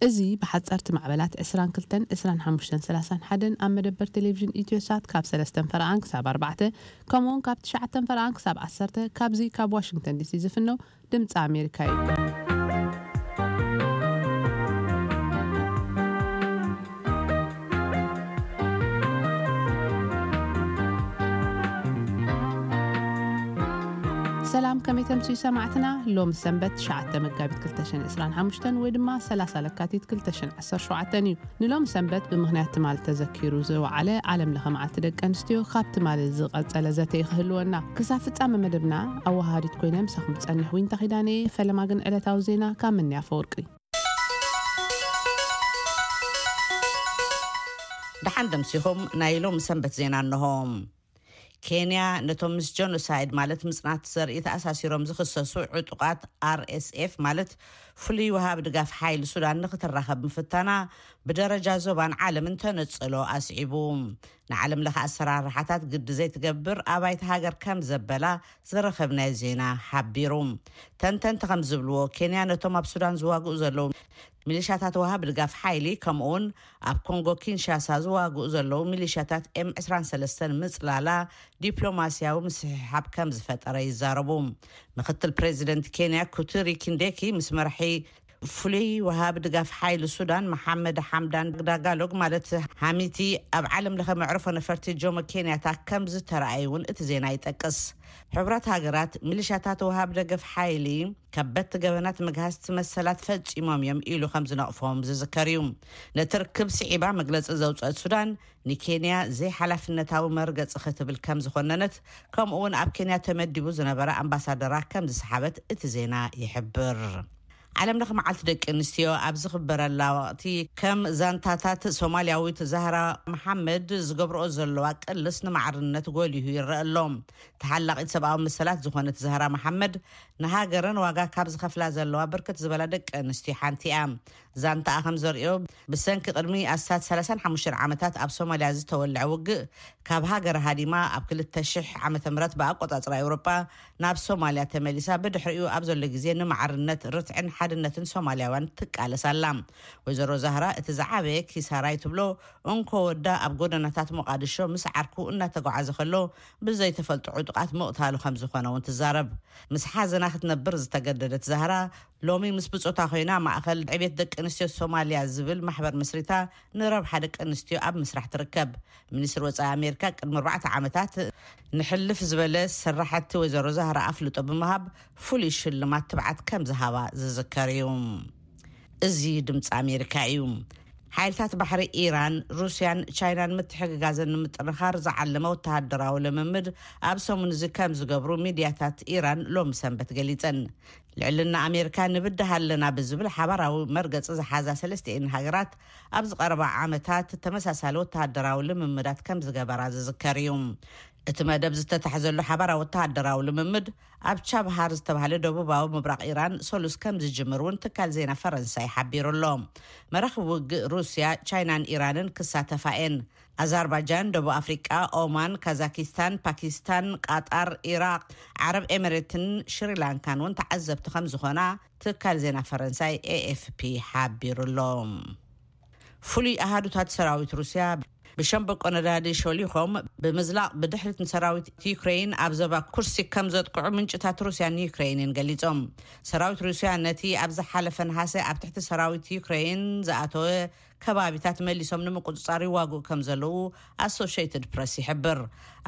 እዚ ብሓጸርቲ ማዕበላት ዕስራን ክልተን፣ ዕስራን ሓሙሽተን፣ ሰላሳን ሓደን ኣብ መደበር ቴሌቪዥን ኢትዮሳት ካብ ሰለስተን ፈረቓን ክሳብ ኣርባዕተ፣ ከምኡውን ካብ ትሽዓተን ፈረቓን ክሳብ ዓሰርተ፣ ካብዚ ካብ ዋሽንግተን ዲሲ ዝፍነው ድምፂ ኣሜሪካ እዩ። ሰላም፣ ከመይ ተምስዩ ሰማዕትና? ሎም ሰንበት ትሽዓተ መጋቢት ክልተ ሽሕን ዕስራን ሓሙሽተን ወይ ድማ ሰላሳ ለካቲት ክልተ ሽሕን ዓሰርተ ሸውዓተን እዩ። ንሎም ሰንበት ብምኽንያት ትማል ተዘኪሩ ዝወዓለ ዓለም ለኸ መዓልቲ ደቂ ኣንስትዮ ካብ ትማል ዝቐጸለ ዘተ ክህልወና። ክሳብ ፍጻመ መደብና ኣወሃሃዲት ኮይነ ምሳኹም ዝጸንሕ ዊንታ ኪዳነ። ፈለማ ግን ዕለታዊ ዜና ካብ ምንያ ፈወርቂ። ደሓን ደምሲኹም። ናይ ሎም ሰንበት ዜና እንሆ። ኬንያ ነቶም ምስ ጀኖሳይድ ማለት ምጽናት ዘርኢ ተኣሳሲሮም ዝኽሰሱ ዕጡቓት ኣር ኤስ ኤፍ ማለት ፍሉይ ወሃብ ድጋፍ ሓይሊ ሱዳን ንኽትራኸብ ምፍታና ብደረጃ ዞባን ዓለምን ተነጽሎ ኣስዒቡ። ንዓለም ለኸ ኣሰራርሓታት ግዲ ዘይትገብር ኣባይቲ ሃገር ከም ዘበላ ዝረኸብናዮ ዜና ሓቢሩ። ተንተንቲ ከም ዝብልዎ ኬንያ ነቶም ኣብ ሱዳን ዝዋግኡ ዘለዉ ሚሊሻታት ወሃብ ድጋፍ ሓይሊ ከምኡውን ኣብ ኮንጎ ኪንሻሳ ዝዋግኡ ዘለዉ ሚሊሻታት ኤም ዕስራን ሰለስተን ምጽላላ ዲፕሎማስያዊ ምስሕሓብ ከም ዝፈጠረ ይዛረቡ። ምክትል ፕሬዚደንት ኬንያ ኩቱሪ ኪንዴኪ ምስ መራሒ ፍሉይ ወሃብ ድጋፍ ሓይሊ ሱዳን መሓመድ ሓምዳን ዳጋሎግ ማለት ሃሚቲ ኣብ ዓለም ለኸ መዕርፎ ነፈርቲ ጆሞ ኬንያታ ከም ዝተረኣዩ እውን እቲ ዜና ይጠቅስ። ሕቡራት ሃገራት ሚሊሻታት ወሃብ ደገፍ ሓይሊ ከበድቲ ገበናት መግሃስቲ መሰላት ፈጺሞም እዮም ኢሉ ከም ዝነቕፎም ዝዝከር እዩ። ነቲ ርክብ ስዒባ መግለጺ ዘውፅአት ሱዳን ንኬንያ ዘይሓላፍነታዊ መርገፂ ክትብል ከም ዝኾነነት ከምኡ እውን ኣብ ኬንያ ተመዲቡ ዝነበረ ኣምባሳደራ ከም ዝሰሓበት እቲ ዜና ይሕብር። ዓለም ለኸ መዓልቲ ደቂ ኣንስትዮ ኣብ ዝኽበረላ ወቕቲ ከም ዛንታታት ሶማልያዊት ዛህራ መሓመድ ዝገብርኦ ዘለዋ ቅልስ ንማዕርነት ጎሊሁ ይረአ ኣሎ። ተሓላቒት ሰብኣዊ መሰላት ዝኾነት ዛህራ መሓመድ ንሃገረን ዋጋ ካብ ዝኸፍላ ዘለዋ ብርክት ዝበላ ደቂ ኣንስትዮ ሓንቲ እያ። ዛንታኣ ከም ዘርእዮ ብሰንኪ ቅድሚ ኣስታት ሰላሳን ሓሙሽተን ዓመታት ኣብ ሶማልያ ዝተወልዐ ውግእ ካብ ሃገር ሃዲማ ኣብ ክልተ ሽሕ ዓመተ ምህረት ብኣቆጻጽራ ኤውሮጳ ናብ ሶማልያ ተመሊሳ ብድሕሪኡ ኣብ ዘሎ ግዜ ንማዕርነት ርትዕን ሓድነትን ሶማልያውያን ትቃለስ ኣላ። ወይዘሮ ዛህራ እቲ ዝዓበየ ኪሳራይ ትብሎ እንኮ ወዳ ኣብ ጎደናታት ሞቓድሾ ምስ ዓርኩ እናተጓዓዘ ከሎ ብዘይተፈልጡ ዕጡቓት ምቕታሉ ከም ዝኾነ እውን ትዛረብ። ምስ ሓዘና ክትነብር ዝተገደደት ዛህራ ሎሚ ምስ ብጾታ ኮይና ማእኸል ዕቤት ደቂ ኣንስትዮ ሶማልያ ዝብል ማሕበር መስሪታ ንረብሓ ደቂ ኣንስትዮ ኣብ ምስራሕ ትርከብ። ሚኒስትሪ ወጻኢ ኣሜሪካ ቅድሚ ኣርባዕተ ዓመታት ንሕልፍ ዝበለ ሰራሕቲ ወይዘሮ ዛህራ ኣፍልጦ ብምሃብ ፍሉይ ሽልማት ትብዓት ከም ዝሃባ ዝዝከር እዩ። እዚ ድምፂ ኣሜሪካ እዩ። ሓይልታት ባሕሪ ኢራን፣ ሩስያን ቻይናን ምትሕግጋዘን ንምጥንኻር ዝዓለመ ወተሃደራዊ ልምምድ ኣብ ሰሙን እዚ ከም ዝገብሩ ሚድያታት ኢራን ሎሚ ሰንበት ገሊፀን። ልዕልና ኣሜሪካ ንብድህ ኣለና ብዝብል ሓባራዊ መርገፂ ዝሓዛ ሰለስቲኤን ሃገራት ኣብ ዝቐረባ ዓመታት ተመሳሳሊ ወተሃደራዊ ልምምዳት ከም ዝገበራ ዝዝከር እዩ። እቲ መደብ ዝተታሕዘሉ ሓባራዊ ወተሃደራዊ ልምምድ ኣብ ቻብሃር ዝተባህለ ደቡባዊ ምብራቕ ኢራን ሰሉስ ከም ዝጅምር እውን ትካል ዜና ፈረንሳይ ሓቢሩ ኣሎ። መራኽብ ውግእ ሩስያ፣ ቻይናን ኢራንን ክሳተፋ እየን። ኣዛርባጃን፣ ደቡብ ኣፍሪቃ፣ ኦማን፣ ካዛኪስታን፣ ፓኪስታን፣ ቃጣር፣ ኢራቅ፣ ዓረብ ኤምሬትን ሽሪላንካን እውን ተዓዘብቲ ከም ዝኾና ትካል ዜና ፈረንሳይ ኤ ኤፍ ፒ ሓቢሩ ኣሎ። ፍሉይ ኣሃዱታት ሰራዊት ሩስያ ብሸምበቆ ነዳዲ ሾሊኾም ብምዝላቕ ብድሕሪት ንሰራዊት ዩክሬይን ኣብ ዞባ ኩርሲክ ከም ዘጥቅዑ ምንጭታት ሩስያን ዩክሬይንን ገሊጾም። ሰራዊት ሩስያ ነቲ ኣብ ዝሓለፈ ነሃሰ ኣብ ትሕቲ ሰራዊት ዩክሬይን ዝኣተወ ከባቢታት መሊሶም ንምቁጽጻር ይዋግኡ ከም ዘለዉ ኣሶሽየትድ ፕረስ ይሕብር።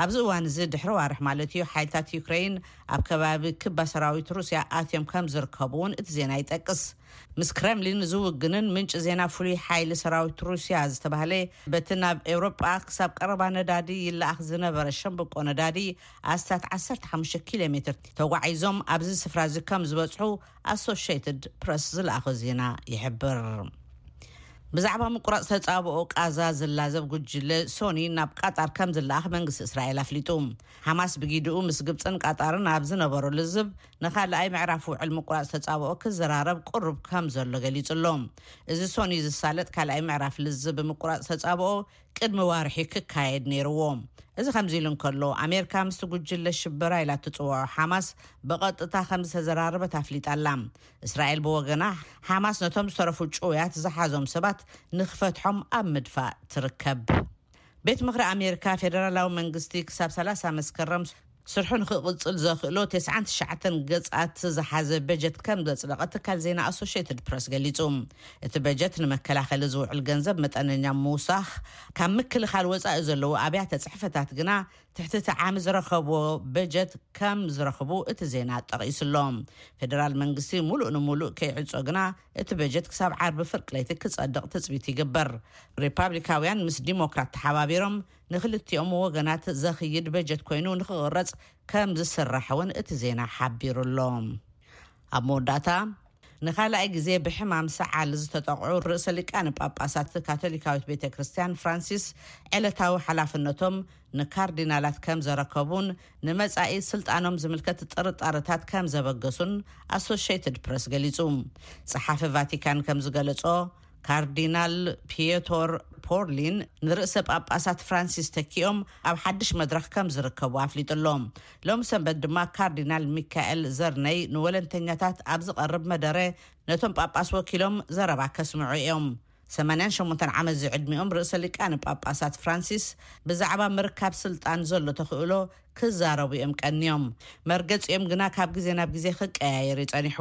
ኣብዚ እዋን እዚ ድሕሪ ዋርሕ ማለት እዩ ሓይልታት ዩክሬይን ኣብ ከባቢ ክባ ሰራዊት ሩስያ ኣትዮም ከም ዝርከቡ እውን እቲ ዜና ይጠቅስ። ምስ ክረምሊን ዝውግንን ምንጪ ዜና ፍሉይ ሓይሊ ሰራዊት ሩስያ ዝተባህለ በቲ ናብ ኤውሮጳ ክሳብ ቀረባ ነዳዲ ይለኣኽ ዝነበረ ሸምብቆ ነዳዲ ኣስታት ዓሰርተ ሓሙሽተ ኪሎ ሜትር ተጓዒዞም ኣብዚ ስፍራ እዚ ከም ዝበጽሑ ኣሶሽየትድ ፕረስ ዝለኣኾ ዜና ይሕብር። ብዛዕባ ምቁራጽ ተጻብኦ ቃዛ ዝላዘብ ጉጅለ ሶኒ ናብ ቃጣር ከም ዝለኣኽ መንግስቲ እስራኤል ኣፍሊጡ። ሓማስ ብጊድኡ ምስ ግብጽን ቃጣርን ኣብ ዝነበሮ ልዝብ ንኻልኣይ ምዕራፍ ውዕል ምቁራጽ ተጻብኦ ክዘራረብ ቅሩብ ከም ዘሎ ገሊጹ ኣሎ። እዚ ሶኒ ዝሳለጥ ካልኣይ ምዕራፍ ልዝብ ምቁራጽ ተጻብኦ ቅድሚ ዋርሒ ክካየድ ነይርዎ። እዚ ከምዚ ኢሉ እንከሎ፣ ኣሜሪካ ምስቲ ጉጅለ ሽበራ ኢላ እትጽውዖ ሓማስ ብቐጥታ ከም ዝተዘራረበት ኣፍሊጣ ኣላ። እስራኤል ብወገና፣ ሓማስ ነቶም ዝተረፉ ጭውያት ዝሓዞም ሰባት ንኽፈትሖም ኣብ ምድፋእ ትርከብ። ቤት ምኽሪ ኣሜሪካ፣ ፌደራላዊ መንግስቲ ክሳብ ሰላሳ መስከረም ስርሑ ንኽቕጽል ዘኽእሎ ተስዓን ትሽዓተን ገጻት ዝሓዘ በጀት ከም ዘጽደቐ ትካል ዜና ኣሶሽየትድ ፕረስ ገሊጹ። እቲ በጀት ንመከላኸሊ ዝውዕል ገንዘብ መጠነኛ ምውሳኽ፣ ካብ ምክልኻል ወጻኢ ዘለዉ ኣብያተ ጽሕፈታት ግና ትሕቲ እቲ ዓሚ ዝረኸብዎ በጀት ከም ዝረኽቡ እቲ ዜና ጠቒሱሎ። ፌደራል መንግስቲ ሙሉእ ንሙሉእ ከይዕጾ ግና እቲ በጀት ክሳብ ዓርቢ ፍርቂ ለይቲ ክጸድቕ ትጽቢት ይግበር። ሪፓብሊካውያን ምስ ዲሞክራት ተሓባቢሮም ንክልቲኦም ወገናት ዘኽይድ በጀት ኮይኑ ንክቕረጽ ከም ዝስራሕ እውን እቲ ዜና ሓቢሩ ኣሎ። ኣብ መወዳእታ፣ ንኻልኣይ ግዜ ብሕማም ሰዓል ዝተጠቕዑ ርእሰ ሊቃነ ጳጳሳት ካቶሊካዊት ቤተ ክርስቲያን ፍራንሲስ ዕለታዊ ሓላፍነቶም ንካርዲናላት ከም ዘረከቡን ንመጻኢ ስልጣኖም ዝምልከት ጥርጣረታት ከም ዘበገሱን ኣሶሽየትድ ፕረስ ገሊጹ። ጸሓፊ ቫቲካን ከም ዝገለጾ፣ ካርዲናል ፒየቶር ፖርሊን ንርእሰ ጳጳሳት ፍራንሲስ ተኪኦም ኣብ ሓድሽ መድረኽ ከም ዝርከቡ ኣፍሊጡ ኣሎ። ሎም ሰንበት ድማ ካርዲናል ሚካኤል ዘርነይ ንወለንተኛታት ኣብ ዝቐርብ መደረ ነቶም ጳጳስ ወኪሎም ዘረባ ከስምዑ እዮም። ሰማንያን ሸሞንተን ዓመት ዝዕድሚኦም ርእሰ ሊቃነ ጳጳሳት ፍራንሲስ ብዛዕባ ምርካብ ስልጣን ዘሎ ተኽእሎ ክዛረቡ እዮም ቀንዮም። መርገጺኦም ግና ካብ ግዜ ናብ ግዜ ክቀያየር እዩ ጸኒሑ።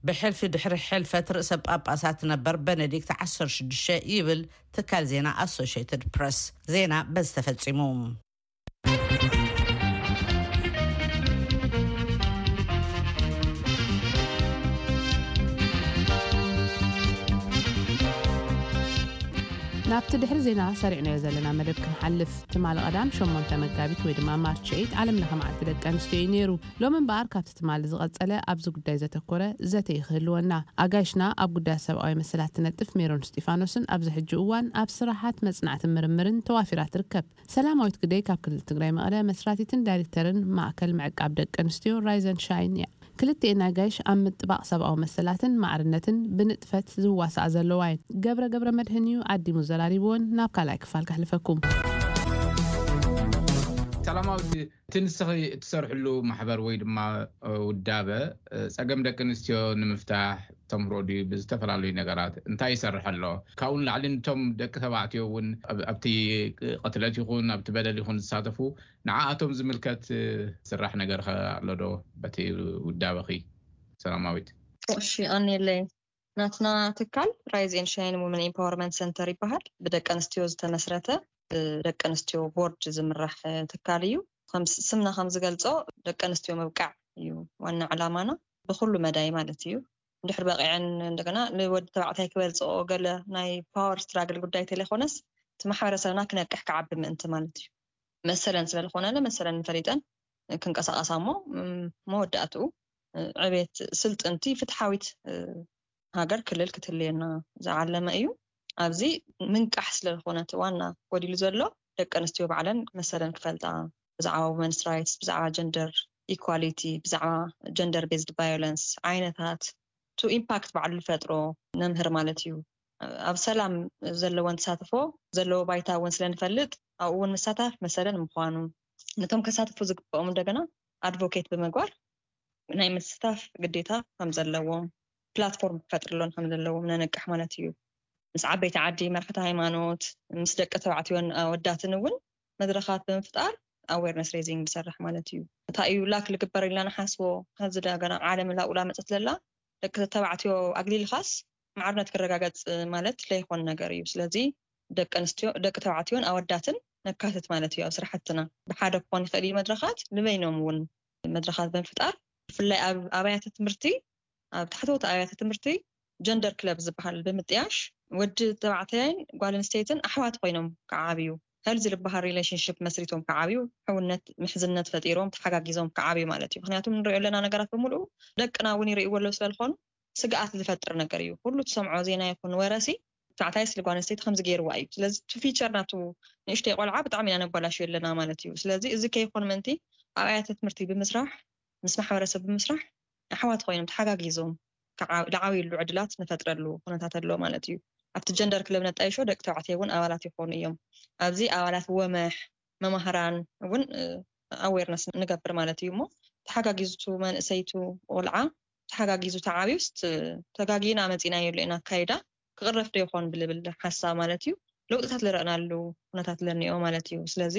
ብሕልፊ ድሕሪ ሕልፈት ርእሰ ጳጳሳት ነበር በነዲክት ዓሰርተ ሽዱሽተ ይብል ትካል ዜና ኣሶሽየትድ ፕረስ። ዜና በዚ ተፈጺሙ። ናብቲ ድሕሪ ዜና ሰሪዕናዮ ዘለና መደብ ክንሓልፍ፣ ትማሊ ቀዳም ሸሞንተ መጋቢት ወይ ድማ ማርች ኤይት ዓለም ለኸ መዓልቲ ደቂ ኣንስትዮ እዩ ነይሩ። ሎሚ እምበኣር ካብቲ ትማሊ ዝቐጸለ ኣብዚ ጉዳይ ዘተኮረ ዘተ እዩ ክህልወና። ኣጋይሽና ኣብ ጉዳያት ሰብኣዊ መሰላት ትነጥፍ ሜሮን እስጢፋኖስን ኣብዚ ሕጂ እዋን ኣብ ስራሓት መጽናዕትን ምርምርን ተዋፊራ ትርከብ። ሰላማዊት ግደይ ካብ ክልል ትግራይ መቐለ መስራቲትን ዳይሬክተርን ማእከል ምዕቃብ ደቂ ኣንስትዮ ራይዘን ሻይን እያ። ክልቲኤን ኣጋይሽ ኣብ ምጥባቕ ሰብኣዊ መሰላትን ማዕርነትን ብንጥፈት ዝዋሳኣ ዘለዋ እየን። ገብረ ገብረ መድህን እዩ ዓዲሙ ዘራሪብወን። ናብ ካልኣይ ክፋል ከሕልፈኩም። ሰላማዊት፣ እቲ ንስኺ እትሰርሕሉ ማሕበር ወይ ድማ ውዳበ ጸገም ደቂ ኣንስትዮ ንምፍታሕ ተምህሮ ድዩ? ብዝተፈላለዩ ነገራት እንታይ ይሰርሕ ኣሎ? ካብኡ ንላዕሊ ንቶም ደቂ ተባዕትዮ እውን ኣብቲ ቅትለት ይኹን ኣብቲ በደል ይኹን ዝሳተፉ ንዓኣቶም ዝምልከት ዝስራሕ ነገር ከ ኣሎ ዶ በቲ ውዳበኺ ሰላማዊት? እሺ፣ ቀኒለይ። ናትና ትካል ራይዝ ኤንድ ሻይን ውመን ኤምፓወርመንት ሰንተር ይበሃል። ብደቂ ኣንስትዮ ዝተመስረተ፣ ብደቂ ኣንስትዮ ቦርድ ዝምራሕ ትካል እዩ። ከም ስምና ከም ዝገልጾ ደቂ ኣንስትዮ ምብቃዕ እዩ ዋና ዕላማና፣ ብኩሉ መዳይ ማለት እዩ። እንድሕር በቂዐን እንደገና ንወዲ ተባዕታይ ክበልፅኦ ገለ ናይ ፓወር ስትራግል ጉዳይ ተለይኮነስ እቲ ማሕበረሰብና ክነቅሕ ክዓቢ ምእንቲ ማለት እዩ። መሰለን ስለልኾነለ መሰለን ፈሊጠን ክንቀሳቀሳ እሞ መወዳእትኡ ዕቤት ስልጥንቲ ፍትሓዊት ሃገር ክልል ክትልየና ዝዓለመ እዩ። ኣብዚ ምንቃሕ ስለዝኾነ እቲ ዋና ጎዲሉ ዘሎ ደቂ ኣንስትዮ ባዕለን መሰለን ክፈልጣ ብዛዕባ ወመንስ ራይትስ ብዛዕባ ጀንደር ኢኳሊቲ ብዛዕባ ጀንደር ቤዝድ ቫዮለንስ ዓይነታት ቱ ኢምፓክት ባዕሉ ዝፈጥሮ ነምህር ማለት እዩ። ኣብ ሰላም ዘለወን ተሳትፎ ዘለዎ ባይታ እውን ስለንፈልጥ ኣብኡ እውን ምሳታፍ መሰለን ምኳኑ ነቶም ከሳትፉ ዝግብኦም እንደገና ኣድቮኬት ብምግባር ናይ ምስታፍ ግዴታ ከም ዘለዎም ፕላትፎርም ክፈጥርሎን ከም ዘለዎም ነነቅሕ ማለት እዩ። ምስ ዓበይቲ ዓዲ መራሕቲ ሃይማኖት ምስ ደቂ ተባዕትዮን ኣወዳትን እውን መድረኻት ብምፍጣር ኣዌርነስ ሬዚንግ ዝሰርሕ ማለት እዩ። እንታይ እዩ ላክ ልግበር ኢልና ንሓስቦ ከዚ ደገና ዓለም ላኡላ መፀት ለላ ደቂ ተባዕትዮ ኣግሊልኻስ ማዕርነት ክረጋገፅ ማለት ለይኮን ነገር እዩ። ስለዚ ደቂ ኣንስትዮ ደቂ ተባዕትዮን ኣወዳትን ነካትት ማለት እዩ ኣብ ስራሕትና ብሓደ ክኾን ይኽእል እዩ መድረኻት ንበይኖም እውን መድረኻት ብምፍጣር ብፍላይ ኣብ ኣብያተ ትምህርቲ ኣብ ታሕተዎት ኣብያተ ትምህርቲ ጀንደር ክለብ ዝበሃል ብምጥያሽ ወዲ ተባዕታይን ጓል ኣንስተይትን ኣሕዋት ኮይኖም ክዓብዩ ሄልዚ ዝበሃል ሪሌሽንሽፕ መስሪቶም ክዓብዩ ሕውነት ምሕዝነት ፈጢሮም ተሓጋጊዞም ክዓብዩ ማለት እዩ። ምክንያቱ ንሪኦ ኣለና ነገራት ብምሉኡ ደቅና እውን ይርእይዎ ኣለዉ ስለዝኾኑ ስግኣት ዝፈጥር ነገር እዩ። ኩሉ ትሰምዖ ዜና ይኹን ወረሲ ተባዕታይ ስሊ ጓል ኣንስተይቲ ከምዚ ገይርዋ እዩ። ስለዚ እቲ ፊቸር ናቱ ንእሽተይ ቆልዓ ብጣዕሚ ኢና ነባላሽዮ ኣለና ማለት እዩ። ስለዚ እዚ ከይኮን ምእንቲ ኣብያተ ትምህርቲ ብምስራሕ ምስ ማሕበረሰብ ብምስራሕ ኣሕዋት ኮይኖም ተሓጋጊዞም ዝዓብይሉ ዕድላት ንፈጥረሉ ኩነታት ኣሎ ማለት እዩ። ኣብቲ ጀንደር ክለብ ነጣይሾ ደቂ ተባዕትዮ እውን ኣባላት ይኾኑ እዮም። ኣብዚ ኣባላት ወመሕ፣ መማህራን እውን ኣዌርነስ ንገብር ማለት እዩ። እሞ ተሓጋጊዙ መንእሰይቱ ቆልዓ ተሓጋጊዙ ተዓብዩስ ተጋጊና መፂናዮ ኣሎ ኢና ኣካይዳ ክቕረፍ ዶ ይኾን ብልብል ሓሳብ ማለት እዩ። ለውጥታት ዝረእናሉ ኩነታት ለኒኦ ማለት እዩ። ስለዚ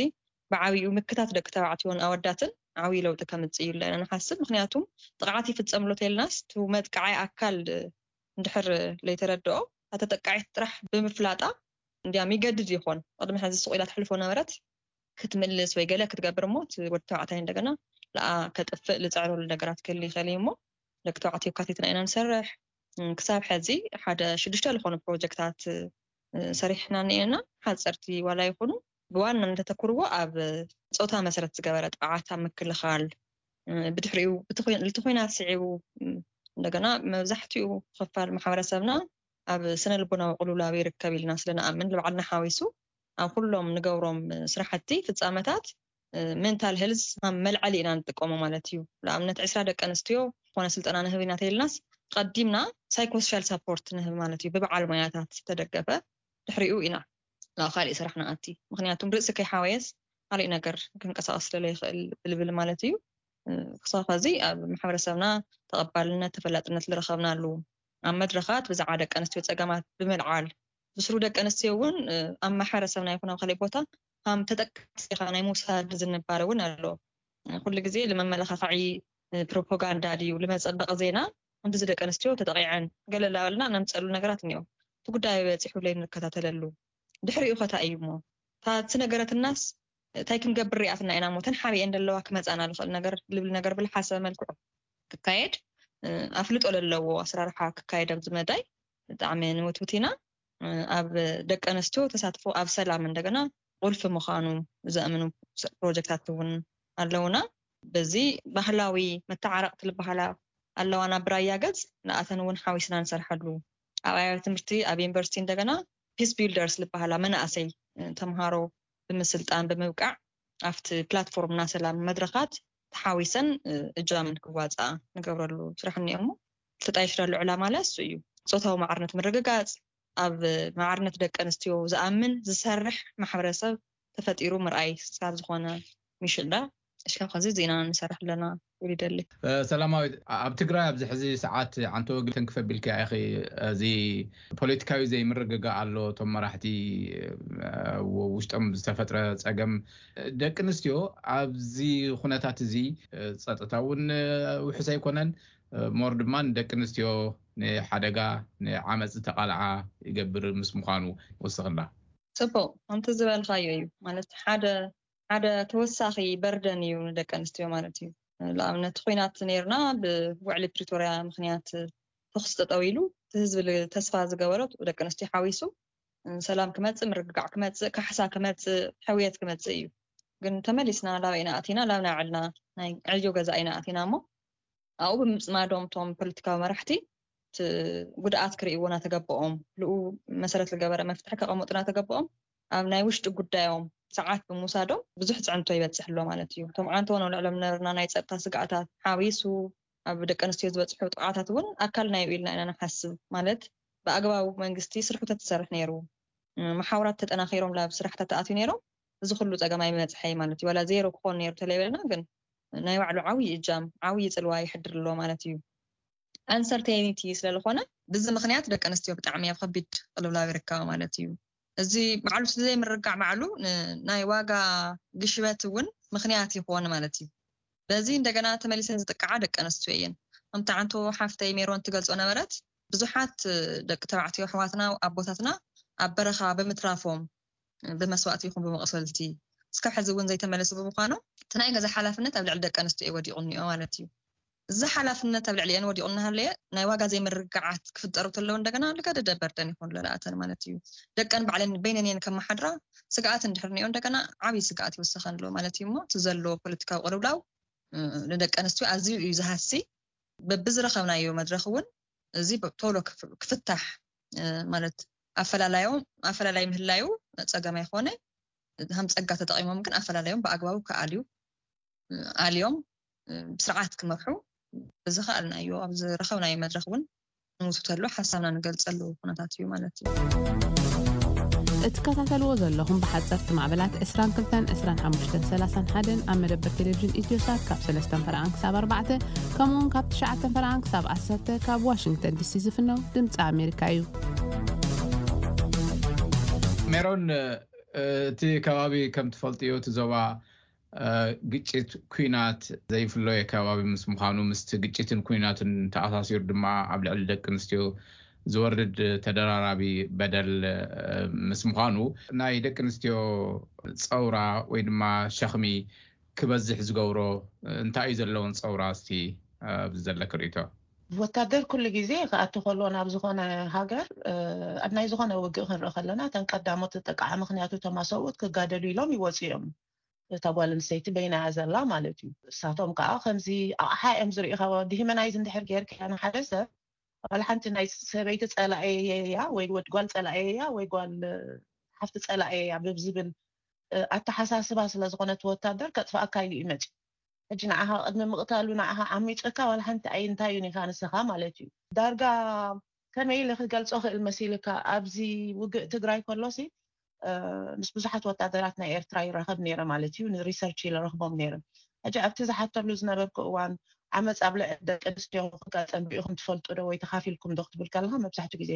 ብዓብዩ ምክታት ደቂ ተባዕትዮን ኣወዳትን ዓብዩ ለውጢ ከምፅእ እዩ ኣለና ንሓስብ። ምክንያቱም ጥቕዓት ይፍፀምሎ ተልናስ ቱ መጥቃዓይ ኣካል እንድሕር ለይተረድኦ፣ እታ ተጠቃዒት ጥራሕ ብምፍላጣ እንዲያም ይገድድ ይኾን። ቅድሚ ሕዚ ስቕ ኢላ ትሕልፎ ነበረት ክትምልስ ወይ ገለ ክትገብር እሞ እቲ ወዲ ተባዕታይ እንደገና ለኣ ከጥፍእ ልፅዕረሉ ነገራት ክህል ይኽእል እዩ። እሞ ደቂ ተባዕትዮ ካቲትና ኢና ንሰርሕ። ክሳብ ሕዚ ሓደ ሽዱሽተ ዝኾኑ ፕሮጀክታት ሰሪሕና እኒኤና። ሓፀርቲ ዋላ ይኹኑ ብዋና እንተተኩርዎ ኣብ ፆታ መሰረት ዝገበረ ጥቕዓት ኣብ ምክልኻል፣ ብድሕሪኡ እቲ ኩናት ስዒቡ እንደገና መብዛሕትኡ ክፋል ማሕበረሰብና ኣብ ስነ ልቦናዊ ቅልውላው ይርከብ ኢልና ስለ ንኣምን ንባዕልና ሓዊሱ ኣብ ኩሎም ንገብሮም ስራሕቲ ፍፃመታት ሜንታል ሄልዝ ከም መልዐሊ ኢና ንጥቀሞ ማለት እዩ። ንኣብነት ዕስራ ደቂ ኣንስትዮ ዝኾነ ስልጠና ንህብ ኢና ተይልናስ ቀዲምና ሳይኮሶሻል ሳፖርት ንህብ ማለት እዩ። ብበዓል ሞያታት ዝተደገፈ ድሕሪኡ ኢና ናብ ካሊእ ስራሕ ንኣቲ። ምክንያቱም ርእሲ ከይሓወየስ ካሊእ ነገር ክንቀሳቀስ ስለለ ይኽእል ብልብል ማለት እዩ። ክሳብ ኸዚ ኣብ ማሕበረሰብና ተቐባልነት ተፈላጥነት ዝረኸብናሉ ኣብ መድረኻት ብዛዕባ ደቂ ኣንስትዮ ፀገማት ብምልዓል ብስሩ ደቂ ኣንስትዮ እውን ኣብ ማሕበረሰብና ይኹን ኣብ ካልእ ቦታ ከም ተጠቃሲ ኢኻ ናይ ምውሳድ ዝንባለ እውን ኣሎ። ኩሉ ግዜ ንመመላኻኽዒ ፕሮፓጋንዳ ድዩ ንመፀበቂ ዜና? ክንድዚ ደቂ ኣንስትዮ ተጠቂዐን ገለ እናበልና ነምፀሉ ነገራት እኒኦ። እቲ ጉዳይ በፂሑ ለይ ንከታተለሉ ድሕሪኡ ከታ እዩ እሞ ታቲ ነገረትናስ እንታይ ክንገብር ሪኣትና ኢና እሞ ተን ሓቢኤን ዘለዋ ክመፃና ዝኽእል ነገር ልብል ነገር ብልሓሰበ መልክዑ ክካየድ ኣፍልጦ ለለዎ ኣሰራርሓ ክካየድ ኣብዚ መዳይ ብጣዕሚ ንምትውት ኢና። ኣብ ደቂ ኣንስትዮ ተሳትፎ ኣብ ሰላም እንደገና ቁልፊ ምዃኑ ዘእምኑ ፕሮጀክታት እውን ኣለውና። በዚ ባህላዊ መተዓረቕቲ ዝበሃላ ኣለዋና ብራያ ገፅ ንኣተን እውን ሓዊስና ንሰርሐሉ ኣብ ኣብያተ ትምህርቲ ኣብ ዩኒቨርሲቲ እንደገና ፒስ ቢልደርስ ዝበሃላ መናእሰይ ተምሃሮ ብምስልጣን ብምብቃዕ ኣብቲ ፕላትፎርም ናይ ሰላም መድረኻት ተሓዊሰን እጃምን ክዋፃ ንገብረሉ ስራሕ እኒኦሞ። ተጣይሽዳሉ ዕላማ ለ እሱ እዩ። ፆታዊ ማዕርነት ምርግጋፅ ኣብ ማዕርነት ደቂ ኣንስትዮ ዝኣምን ዝሰርሕ ማሕበረሰብ ተፈጢሩ ምርኣይ ስካብ ዝኾነ ሚሽልዳ እሽካ ከዚ ዜና ንሰርሕ ኣለና ይብል ይደሊ። ሰላማዊት፣ ኣብ ትግራይ ኣብዚ ሕዚ ሰዓት ዓንተ ወግተን ክፈቢልካ ኢኺ። እዚ ፖለቲካዊ ዘይምርግጋእ ኣሎ። እቶም መራሕቲ ውሽጦም ዝተፈጥረ ፀገም ደቂ ኣንስትዮ ኣብዚ ኩነታት እዚ ፀጥታ እውን ውሕስ ኣይኮነን። ሞር ድማ ንደቂ ኣንስትዮ ንሓደጋ ንዓመፅ ተቓልዓ ይገብር ምስ ምዃኑ ወስኽላ። ፅቡቅ ከምቲ ዝበልካዮ እዩ ማለት ሓደ ሓደ ተወሳኺ በርደን እዩ ንደቂ ኣንስትዮ ማለት እዩ። ንኣብነት ኩናት ነርና ብውዕሊ ፕሪቶርያ ምክንያት ተኩስ ጠጠው ኢሉ እቲ ህዝቢ ተስፋ ዝገበሮ ደቂ ኣንስትዮ ሓዊሱ ሰላም ክመፅእ ምርግጋዕ ክመፅእ ካሕሳ ክመፅእ ሕውየት ክመፅእ እዩ። ግን ተመሊስና ላበይና ኣቲና ላብ ናይ ዕልና ናይ ዕዮ ገዛ ኢና ኣቲና እሞ ኣብኡ ብምፅማዶም እቶም ፖለቲካዊ መራሕቲ እቲ ጉድኣት ክርእይዎ እናተገበኦም ልኡ መሰረት ዝገበረ መፍትሒ ከቐምጡ እናተገበኦም ኣብ ናይ ውሽጢ ጉዳዮም ሰዓት ብምውሳዶም ብዙሕ ፅዕንቶ ይበፅሕ ኣሎ ማለት እዩ። እቶም ዓንተውን ኣብ ልዕሎም ነበርና ናይ ፀጥታ ስግኣታት ሓዊሱ ኣብ ደቂ ኣንስትዮ ዝበፅሑ ጥቃታት እውን ኣካል ናዩ ኢልና ኢና ንሓስብ። ማለት ብኣግባቡ መንግስቲ ስርሑ ተትሰርሕ ነይሩ መሓውራት ተጠናኺሮም ላብ ስራሕታት ተኣትዩ ነይሮም እዚ ኩሉ ፀገም ኣይመፅሐይ ማለት እዩ። ዋላ ዜሮ ክኾን ነይሩ ተለይበልና ግን ናይ ባዕሉ ዓብዪ እጃም ዓብዪ ፅልዋ ይሕድር ኣሎ ማለት እዩ። ኣንሰርቴኒቲ ስለዝኾነ ብዚ ምክንያት ደቂ ኣንስትዮ ብጣዕሚ ኣብ ከቢድ ቅልውላው ይርከባ ማለት እዩ። እዚ ባዕሉ ስለ ዘይምርጋዕ ባዕሉ ናይ ዋጋ ግሽበት እውን ምክንያት ይኾን ማለት እዩ። በዚ እንደገና ተመሊሰን ዝጥቃዓ ደቂ ኣንስትዮ እየን። ከምቲ ዓንቶ ሓፍተይ ሜሮን ትገልጾ ነበረት ብዙሓት ደቂ ተባዕትዮ ኣሕዋትና ኣቦታትና ኣብ በረኻ ብምትራፎም ብመስዋእቲ ይኹን ብመቕሰልቲ እስካብ ሕዚ እውን ዘይተመለሱ ብምዃኖም እቲ ናይ ገዛ ሓላፍነት ኣብ ልዕሊ ደቂ ኣንስትዮ እዩ ወዲቑ እኒኦ ማለት እዩ። እዚ ሓላፍነት ኣብ ልዕሊአን ወዲቑ እናሃለየ ናይ ዋጋ ዘይምርግጋዓት ክፍጠሩ ተለዉ እንደገና ልገደደ በርደን ይኾኑ ለለኣተን ማለት እዩ። ደቀን ባዕለን በይነን እየን ከመሓድራ ስግኣት እንድሕር እኒኦ እንደገና ዓብዪ ስግኣት ይወሰኸን ኣሎ ማለት እዩ። እሞ እቲ ዘሎ ፖለቲካዊ ቅልውላው ንደቂ ኣንስትዮ ኣዝዩ እዩ ዝሃሲ። በብዝረኸብናዮ መድረኽ እውን እዚ ቶሎ ክፍታሕ ማለት ኣፈላላዮም ኣፈላላይ ምህላዩ ፀገም ኣይኮነ። ከም ፀጋ ተጠቂሞም ግን ኣፈላላዮም ብኣግባቡ ክኣልዩ ኣልዮም ብስርዓት ክመርሑ ብዝኸኣልናዮ ኣብ ዝረኸብናዮ መድረኽ እውን ንሱ ተሎ ሓሳብና ንገልጸሉ ኩነታት እዩ ማለት እዩ። እትከታተልዎ ዘለኹም ብሓፀርቲ ማዕበላት ዕስራን ክልተን ዕስራን ሓሙሽተን ሰላሳን ሓደን ኣብ መደበር ቴሌቪዥን ኢትዮሳት ካብ ሰለስተን ፈረቓን ክሳብ ኣርባዕተ ከምኡውን ካብ ትሽዓተን ፈረቓን ክሳብ ዓሰርተ ካብ ዋሽንግተን ዲሲ ዝፍነው ድምፂ ኣሜሪካ እዩ። ሜሮን፣ እቲ ከባቢ ከም ትፈልጥዮ እቲ ዞባ ግጭት ኩናት ዘይፍለዮ ከባቢ ምስ ምዃኑ ምስቲ ግጭትን ኩናትን ተኣሳሲሩ ድማ ኣብ ልዕሊ ደቂ ኣንስትዮ ዝወርድ ተደራራቢ በደል ምስ ምዃኑ ናይ ደቂ ኣንስትዮ ፀውራ ወይ ድማ ሸኽሚ ክበዝሕ ዝገብሮ እንታይ እዩ ዘለዎን ፀውራ እስቲ ኣብዚ ዘለክ ርእቶ ወታደር ኩሉ ግዜ ክኣቱ ከሎ ናብ ዝኾነ ሃገር ኣብ ናይ ዝኾነ ውግእ ክንርኢ ከለና እተን ቀዳሞት ዝጠቃዓ ምክንያቱ እቶም ኣሰብኡት ክጋደሉ ኢሎም ይወፁ እዮም። እታ ጓል ኣንስተይቲ በይና እያ ዘላ ማለት እዩ። እሳቶም ከዓ ከምዚ ኣቕሓ እዮም ዝርኢ ካብ ዲሂመናይዝ እንድሕር ጌርካ ንሓደ ሰብ ዋላ ሓንቲ ናይ ሰበይቲ ፀላኤ እያ ወይ ወድ ጓል ፀላኤ እያ ወይ ጓል ሓፍቲ ፀላኤ እያ ብዝብል ኣተሓሳስባ ስለዝኾነ እቲ ወታደር ከጥፍኣካ ኢሉ እዩ መፂኡ። ሕጂ ንዓኻ ቅድሚ ምቕታሉ ንዓኻ ዓሚፁካ ዋላ ሓንቲ ኣይ እንታይ እዩ ኒካ ንስኻ ማለት እዩ። ዳርጋ ከመይ ኢለ ክገልፆ ክእል መሲልካ ኣብዚ ውግእ ትግራይ ከሎሲ ምስ ብዙሓት ወታደራት ናይ ኤርትራ ይራኸብ ነይረ ማለት እዩ። ንሪሰርች ኢለ ረኽቦም ነይረ። ሕጂ ኣብቲ ዝሓተሉ ዝነበርኩ እዋን ዓመፅ ኣብ ልዕሊ ደቂ ኣንስትዮ ክጋጠም ሪኢኹም ትፈልጡ ዶ ወይ ተኻፊልኩም ዶ ክትብል ከለካ መብዛሕትኡ ግዜ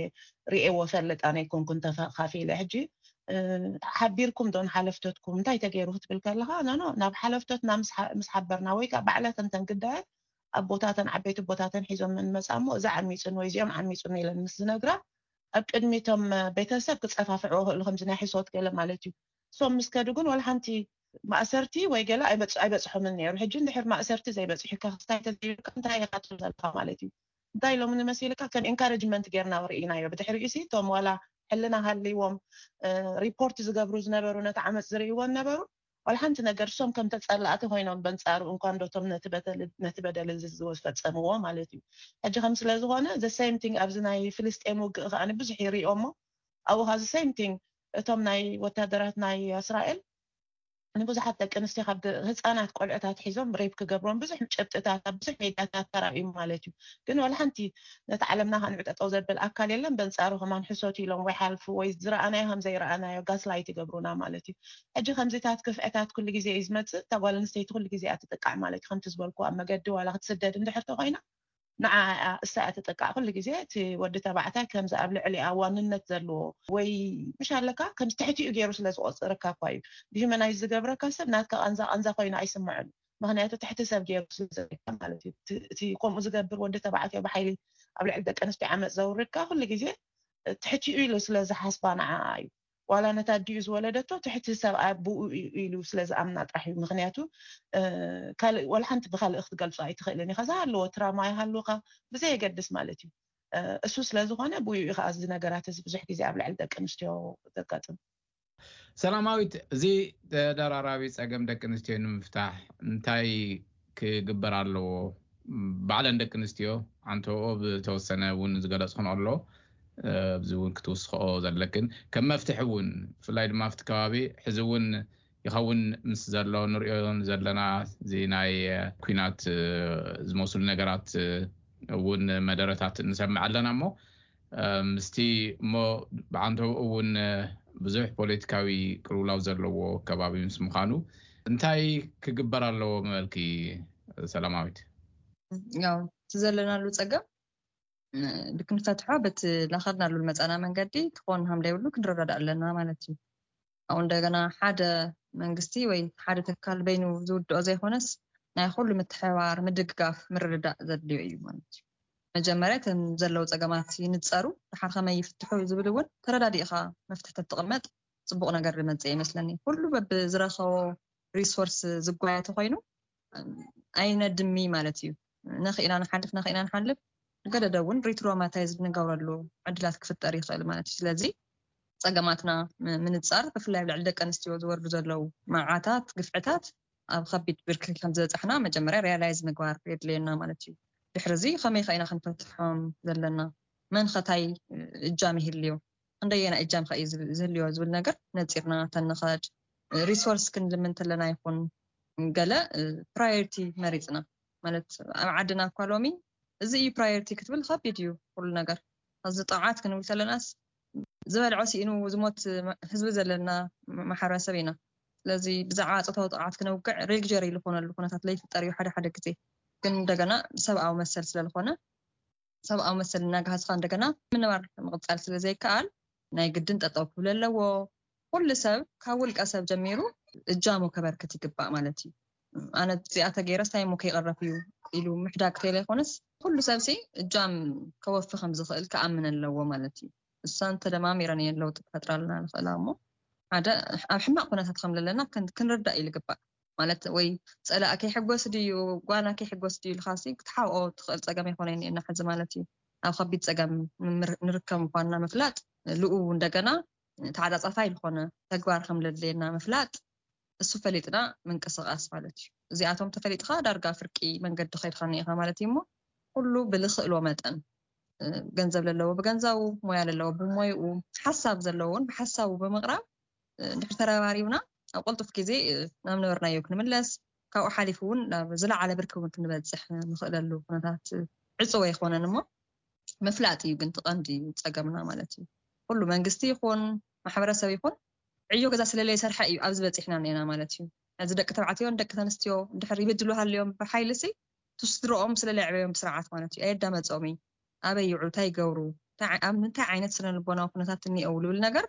ሪኤዎ ፈልጥ ኣነ ኣይኮንኩን ተኻፊለ። ሕጂ ሓቢርኩም ዶ ንሓለፍቶትኩም እንታይ ተገይሩ ክትብል ከለካ ኖኖ ናብ ሓለፍቶትና ምስ ሓበርና ወይ ከዓ ባዕላተን ተን ግዳያት ኣቦታተን ዓበይቲ ኣቦታተን ሒዞም እንመፃ እሞ እዚ ዓሚፁን ወይ እዚኦም ዓሚፁን ኢለን ምስ ዝነግራ ኣብ ቅድሚቶም ቤተሰብ ክፀፋፍዕዎ ክእሉ ከምዚ ናይ ሕሶት ገለ ማለት እዩ። እሶም ምስ ከዱ ግን ዋላ ሓንቲ ማእሰርቲ ወይ ገለ ኣይበፅሖምን ነይሩ። ሕጂ እንድሕር ማእሰርቲ ዘይበፅሑካ ክስታይ ተዘይብልካ እንታይ ኢኻ ትብል ዘለካ ማለት እዩ። እንታይ ኢሎም ንመሲልካ ከም ኢንካረጅመንት ጌርና ርኢናዮ። ብድሕሪኡ ሲ እቶም ዋላ ሕልና ሃልይዎም ሪፖርት ዝገብሩ ዝነበሩ ነቲ ዓመፅ ዝርእይዎ ነበሩ ዋላ ሓንቲ ነገር እሶም ከም ተፀላእቲ ኮይኖም በንፃሩ እንኳን ዶቶም ነቲ በደል እዚ ዝፈፀምዎ ማለት እዩ። ሕጂ ከም ስለዝኾነ the same thing ኣብዚ ናይ ፍልስጤም ውግእ ከዓ ብዙሕ ይሪኦ እሞ ኣብኡ ከዓ the same thing እቶም ናይ ወታደራት ናይ እስራኤል ንብዙሓት ደቂ ኣንስትዮ ካብ ህፃናት ቆልዕታት ሒዞም ሬፕ ክገብሮም ብዙሕ ጭብጥታት ኣብ ብዙሕ ሜድያታት ተራእዩ ማለት እዩ። ግን ዋላ ሓንቲ ነቲ ዓለምና ከንዕጠጠው ዘብል ኣካል የለን። በንፃሩ ከማን ሕሶት ኢሎም ወይ ሓልፉ ወይ ዝረኣናዮ ከም ዘይረኣናዮ ጋስላይት ይገብሩና ማለት እዩ። ሕጂ ከምዚታት ክፍዕታት ኩሉ ግዜ እዩ ዝመፅእ። እታ ጓል ኣንስተይቲ ኩሉ ግዜ እያ ትጥቃዕ ማለት እዩ። ከምቲ ዝበልኩ ኣብ መገዲ ዋላ ክትስደድ እንድሕር ተኮይና ንዓ እሳ እያ ትጥቃዕ። ኩሉ ግዜ እቲ ወዲ ተባዕታይ ከምዚ ኣብ ልዕሊኣ ዋንነት ዘለዎ ወይ ምሽ ኣለካ ከምዚ ትሕቲኡ ገይሩ ስለ ዝቆፅረካ እኳ እዩ። ብሂመናይዝ ዝገብረካ ሰብ ናትካ ቃንዛ ቃንዛ ኮይኑ ኣይስምዐሉ። ምክንያቱ ትሕቲ ሰብ ገይሩ ስለ ዝርእካ ማለት እዩ። እቲ ከምኡ ዝገብር ወዲ ተባዕትዮ ብሓይሊ ኣብ ልዕሊ ደቂ ኣንስትዮ ዓመፅ ዘውርድካ ኩሉ ግዜ ትሕቲኡ ኢሉ ስለ ዝሓስባ ንዓ እዩ። ዋላ ነታ ኣዲኡ ዝወለደቶ ትሕቲ ሰብኣይ ብኡ ኢሉ ስለ ዝኣምና ጥራሕ እዩ። ምክንያቱ ካልእ ዋላ ሓንቲ ብካልእ ክትገልፆ ኣይትኽእልን ኢኻ። ዝሃለዎ ትራማ ይሃልውካ ብዘየገድስ ማለት እዩ። እሱ ስለ ዝኾነ ብኡ እዩ ከዓ እዚ ነገራት እዚ ብዙሕ ግዜ ኣብ ልዕሊ ደቂ ኣንስትዮ ዘጋጥም። ሰላማዊት፣ እዚ ተደራራቢ ፀገም ደቂ ኣንስትዮ ንምፍታሕ እንታይ ክግበር ኣለዎ? ባዕለን ደቂ ኣንስትዮ ኣንተኦ ብተወሰነ እውን ዝገለፅክን ኣሎ ኣብዚ እውን ክትውስኸኦ ዘለክን ከም መፍትሒ እውን ብፍላይ ድማ ኣብቲ ከባቢ ሕዚ እውን ይኸውን ምስ ዘሎ ንሪኦ ዘለና እዚ ናይ ኩናት ዝመስሉ ነገራት እውን መደረታት ንሰምዕ ኣለና እሞ ምስቲ እሞ ብዓንተው እውን ብዙሕ ፖለቲካዊ ቅልውላው ዘለዎ ከባቢ ምስ ምዃኑ እንታይ ክግበር ኣለዎ ምበልኪ ሰላማዊት? ያው እቲ ዘለናሉ ፀገም ልክ ንፈትሖ በቲ ላኸድናሉ መፃና መንገዲ ክኾን ሃምዳ ይብሉ ክንረዳዳ ኣለና ማለት እዩ። ኣብኡ እንደገና ሓደ መንግስቲ ወይ ሓደ ትካል በይኑ ዝውድኦ ዘይኮነስ ናይ ኩሉ ምትሕባር ምድግጋፍ ምርድዳእ ዘድልዮ እዩ ማለት እዩ። መጀመርያ እተን ዘለዉ ፀገማት ይንፀሩ፣ ድሓር ከመይ ይፍትሑ ዝብል እውን ተረዳዲእኻ መፍትሒ ተትቕመጥ ፅቡቕ ነገር ዝመፅእ ይመስለኒ። ኩሉ በብዝረኸቦ ሪሶርስ ዝጓየ ተኮይኑ ኣይነድሚ ማለት እዩ። ነኽእና ንሓልፍ ነኽእና ንሓልፍ ገደደ እውን ሪትሮማታይዝ ንገብረሉ ዕድላት ክፍጠር ይኽእል ማለት እዩ። ስለዚ ፀገማትና ምንፃር ብፍላይ ኣብ ልዕሊ ደቂ ኣንስትዮ ዝወርዱ ዘለዉ መዓታት ግፍዕታት ኣብ ከቢድ ብርኪ ከም ዝበፃሕና መጀመርያ ሪያላይዝ ምግባር የድልየና ማለት እዩ። ድሕሪ እዚ ከመይ ከኢና ክንፈትሖም ዘለና መን ኸታይ እጃም ይህልዮ እንደየና እጃም ከ ዝህልዮ ዝብል ነገር ነፂርና ተንኸድ ሪሶርስ ክንልምን ተለና ይኹን ገለ ፕራዮሪቲ መሪፅና ማለት ኣብ ዓድና እኳ ሎሚ እዚ እዩ ፕራዮሪቲ ክትብል ከቢድ እዩ። ኩሉ ነገር። እዚ ጥቕዓት ክንብል ከለናስ ዝበልዖ ስኢኑ ዝሞት ህዝቢ ዘለና ማሕበረሰብ ኢና። ስለዚ ብዛዕባ ፆታዊ ጥቕዓት ክነውግዕ ሬግጀር ዝኾነሉ ኩነታት ለይፍጠር እዩ ሓደ ሓደ ግዜ። ግን እንደገና ሰብኣዊ መሰል ስለዝኾነ ሰብኣዊ መሰል እናጋሃዝካ እንደገና ምንባር ምቕፃል ስለዘይከኣል ናይ ግድን ጠጠው ክብል ኣለዎ። ኩሉ ሰብ ካብ ውልቀ ሰብ ጀሚሩ እጃሙ ከበርክት ይግባእ ማለት እዩ። ኣነ እዚኣ ተገይረስ እንታይ እሞ ከይቐረፍ እዩ ኢሉ ምሕዳግ ተይለይኮነስ ኩሉ ሰብሲ እጃም ከወፊ ከም ዝኽእል ክኣምን ኣለዎ ማለት እዩ። እሳን ተደማሚረን እየን ለውጢ ክፈጥራልና ንኽእላ እሞ ሓደ ኣብ ሕማቕ ኩነታት ከም ዘለና ክንርዳእ እዩ ዝግባእ። ማለት ወይ ፀላእ ከይሕጎስ ድዩ ጓና ከይሕጎስ ድዩ ኢልካሲ ክትሓብኦ ትኽእል ፀገም ኣይኮነን እየና ሕዚ ማለት እዩ። ኣብ ከቢድ ፀገም ንርከብ ምኳንና ምፍላጥ ልኡ እንደገና ተዓፃፃፋይ ዝኾነ ተግባር ከም ለድልየና ምፍላጥ እሱ ፈሊጥና ምንቅስቃስ ማለት እዩ። እዚኣቶም ተፈሊጥካ ዳርጋ ፍርቂ መንገዲ ከይድካ እኒኢካ ማለት እዩ። እሞ ኩሉ ብልክእሎ መጠን ገንዘብ ለለዎ ብገንዘቡ፣ ሞያ ለለዎ ብሞይኡ፣ ሓሳብ ዘለዎን ብሓሳቡ ብምቕራብ እንድሕር ተረባሪብና ኣብ ቅልጡፍ ግዜ ናብ ነበርናዮ ክንምለስ፣ ካብኡ ሓሊፉ እውን ናብ ዝለዓለ ብርኪ እውን ክንበፅሕ ንኽእለሉ ኩነታት ዕፅወ ኣይኮነን። እሞ ምፍላጥ እዩ ግን ትቐንዲ ፀገምና ማለት እዩ። ኩሉ መንግስቲ ይኹን ማሕበረሰብ ይኹን ዕዮ ገዛ ስለለይ ሰርሐ እዩ ኣብዚ በፂሕና እኒና ማለት እዩ። እዚ ደቂ ተባዕትዮን ደቂ ተንስትዮ እንድሕር ይብድሉ ሃልዮም ብሓይሊ ሲ ስድሮኦም ስለለይ ዕበዮም ብስርዓት ማለት እዩ። ኣየዳመፆም እዩ። ኣበይ ይውዕሉ፣ እንታይ ይገብሩ፣ ኣብ ምንታይ ዓይነት ስነ ልቦናዊ ኩነታት እኒአው ልብል ነገር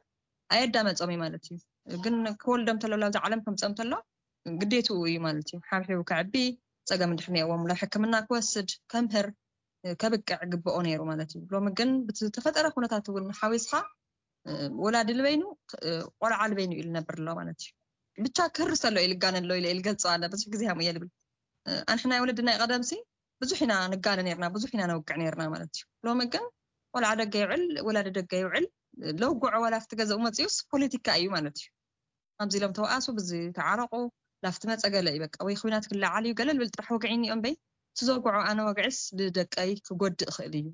ኣየዳመፆም እዩ ማለት እዩ። ግን ክወልዶም ተሎ ላብዚ ዓለም ከምፀም ተሎ ግዴትኡ እዩ ማለት እዩ። ሓብሒቡ ከዕቢ፣ ፀገም እንድሕር ኒአዎም ናብ ሕክምና ክወስድ፣ ከምህር፣ ከብቅዕ ግብኦ ነይሩ ማለት እዩ። ሎሚ ግን ብዝተፈጠረ ኩነታት እውን ሓዊስካ ወላዲ ልበይኑ ቆልዓ ልበይኑ ኢሉ ነብር ኣሎ ማለት እዩ። ብቻ ክርስ ኣሎ ኢሉ ጋነ ኣሎ ኢለ ኢልገልፀ ኣለ ብዙሕ ግዜ ሃም እየ ልብል። ኣንሕና ወለድና ቀደምሲ ብዙሕ ኢና ንጋነ ነርና፣ ብዙሕ ኢና ነውቅዕ ነርና ማለት እዩ። ሎሚ ግን ቆልዓ ደገ ይውዕል፣ ወላዲ ደገ ይውዕል፣ ለውጉዖ ዋላ ኣብቲ ገዛኡ መፅኡስ ፖለቲካ እዩ ማለት እዩ። ኣብዚ ኢሎም ተወኣሱ ብዚ ተዓረቁ ላፍቲ መፀ ገለ እዩ በቃ ወይ ኩናት ክለዓል እዩ ገለ ልብል ጥራሕ ወግዒ እኒኦም በይ ስዘውግዖ ኣነ ወግዒስ ልደቀይ ክጎድእ ይኽእል እዩ።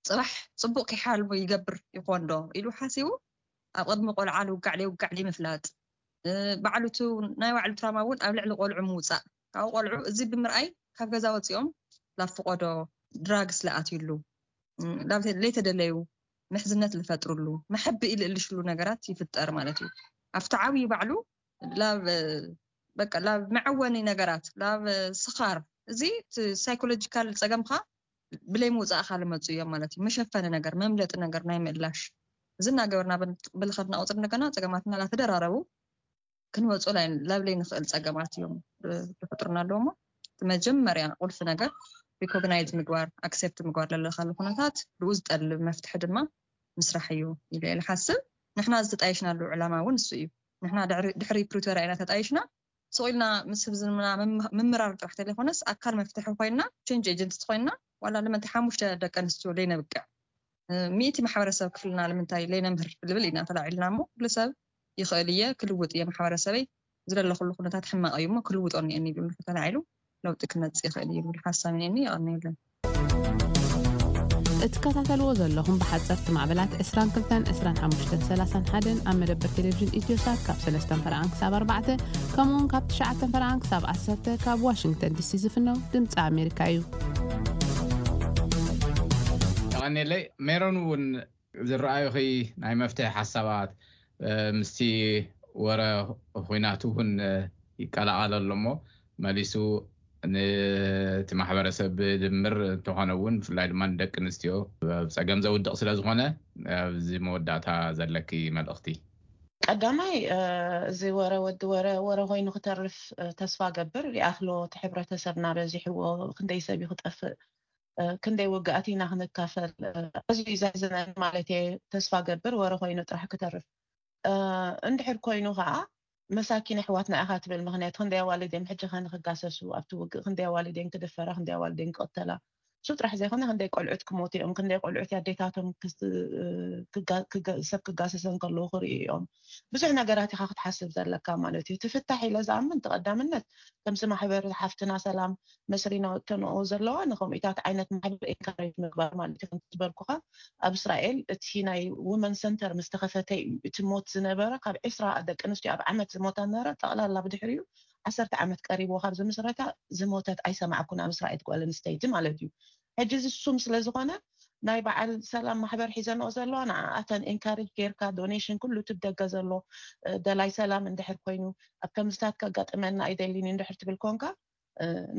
ፅባሕ ፅቡቅ ከይሓልሙ ይገብር ይኾን ዶ ኢሉ ሓሲቡ ኣብ ቅድሚ ቆልዓ ልውጋዕ ለይውጋዕ ለይምፍላጥ ባዕሉቱ ናይ ባዕሉ ትራማ እውን ኣብ ልዕሊ ቆልዑ ምውፃእ ካብኡ ቆልዑ እዚ ብምርኣይ ካብ ገዛ ወፂኦም ላፍቆዶ ድራግስ ለኣትዩሉ ለይተደለዩ ምሕዝነት ዝፈጥርሉ መሐቢ ኢልእልሽሉ ነገራት ይፍጠር ማለት እዩ። ኣብቲ ዓብዩ ባዕሉ ላብ በቃ ላብ መዐወኒ ነገራት ላብ ስኻር እዚ ሳይኮሎጂካል ፀገምካ ብለይ ምውፃእካ ልመፁ እዮም ማለት እዩ። መሸፈኒ ነገር መምለጢ ነገር ናይ ምእላሽ እዚ እናገበርና ብልኸድና ቁፅር እንደገና ፀገማትና ላተደራረቡ ክንወፁ ላብለይ ንኽእል ፀገማት እዮም ዝፈጥሩና ኣለዎ። እሞ እቲ መጀመርያ ቁልፊ ነገር ሪኮግናይዝ ምግባር ኣክሴፕት ምግባር ለለካሉ ኩነታት ብኡ ዝጠልብ መፍትሒ ድማ ምስራሕ እዩ ኢለ እየ ዝሓስብ። ንሕና ዝተጣየሽናሉ ዕላማ እውን እሱ እዩ። ንሕና ድሕሪ ፕሪቶርያ ኢና ተጣይሽና ስቕ ኢልና ምስ ህዝብና ምምራር ጥራሕ ተለይኮነስ ኣካል መፍትሒ ኮይና ቼንጅ ኤጀንት ኮይና ዋላ ልመንቲ ሓሙሽተ ደቂ ኣንስትዮ ለይነብቅዕ ሚእቲ ማሕበረሰብ ክፍልና ንምንታይ ለይነምህር ልብል ኢና ተላዒልና እሞ ኩሉ ሰብ ይኽእል እየ ክልውጥ እየ ማሕበረሰበይ ዝለለኩሉ ኩነታት ሕማቕ እዩ እሞ ክልውጦ እኒአኒ ኢሉ ተላዒሉ ለውጢ ክመፅእ ይኽእል እዩ ዝብል ሓሳብ እኒአኒ። የቐንየለን። እትከታተልዎ ዘለኹም ብሓፀርቲ ማዕበላት ዕስራን ክልተን ዕስራን ሓሙሽተን ሰላሳን ሓደን ኣብ መደበር ቴሌቪዥን ኢትዮሳት ካብ ሰለስተን ፈረቓን ክሳብ ኣርባዕተ ከምኡውን ካብ ትሽዓተን ፈረቓን ክሳብ ዓሰርተ ካብ ዋሽንግተን ዲሲ ዝፍነው ድምፂ ኣሜሪካ እዩ። የቐንየለይ። ሜሮን እውን ዝረኣዩኺ ናይ መፍትሒ ሓሳባት ምስቲ ወረ ኹናት እውን ይቀላቐል ኣሎ እሞ መሊሱ ነቲ ማሕበረሰብ ድምር እንተኾነ እውን ብፍላይ ድማ ንደቂ ኣንስትዮ ኣብ ፀገም ዘውድቕ ስለ ዝኾነ ኣብዚ መወዳእታ ዘለኪ መልእኽቲ። ቀዳማይ እዚ ወረ ወዲ ወረ ወረ ኮይኑ ክተርፍ ተስፋ ገብር። ይኣኽሎ እቲ ሕብረተሰብና በዚሕዎ ክንደይ ሰብ ክጠፍእ ክንደይ ውግኣት ኢና ክንካፈል ኣዝዩ ዘሕዝነኒ ማለት እየ። ተስፋ ገብር ወረ ኮይኑ ጥራሕ ክተርፍ እንድሕር ኮይኑ ከዓ መሳኪን ኣሕዋትና ኢኻ ትብል። ምክንያቱ ክንደይ ኣዋልድ እዮም ሕጂ ከ ንክጋሰሱ ኣብቲ ውግእ ክንደይ ኣዋልድ እዮም ክድፈራ፣ ክንደይ ኣዋልድ እዮም ክቅተላ። እሱ ጥራሕ ዘይኮነ ክንደይ ቆልዑት ክሞቱ እዮም፣ ክንደይ ቆልዑት ኣዴታቶም ሰብ ክጋሰሰን ከለዉ ክርእዩ እዮም። ብዙሕ ነገራት ኢኻ ክትሓስብ ዘለካ ማለት እዩ። ትፍታሕ ኢለ ዝኣምን ተቐዳምነት ከምዚ ማሕበር ሓፍትና ሰላም መስሪና ወጥተንኦ ዘለዋ ንከምኡታት ዓይነት ማሕበር ኤንካሬጅ ምግባር ማለት እዩ። ከምቲ ዝበልኩኻ ኣብ እስራኤል እቲ ናይ ውመን ሰንተር ምስ ተኸፈተ እዩ እቲ ሞት ዝነበረ ካብ ዕስራ ደቂ ኣንስትዮ ኣብ ዓመት ዝሞታ ነበረ ጠቕላላ ብድሕሪኡ ዓሰርተ ዓመት ቀሪብዎ ካብ ዝምስረታ ዝሞተት ኣይሰማዕኩን ኣብ እስራኤል ጓል ኣንስተይቲ ማለት እዩ። ሕጂ እዚ ሱም ስለ ዝኾነ ናይ በዓል ሰላም ማሕበር ሒዘንኦ ዘለዋ ንዓኣተን ኢንካሬጅ ጌርካ፣ ዶኔሽን ኩሉ እቲ ብደገ ዘሎ ደላይ ሰላም እንድሕር ኮይኑ፣ ኣብ ከምዝታት ከጋጥመና ኣይደሊን እንድሕር ትብል ኮንካ፣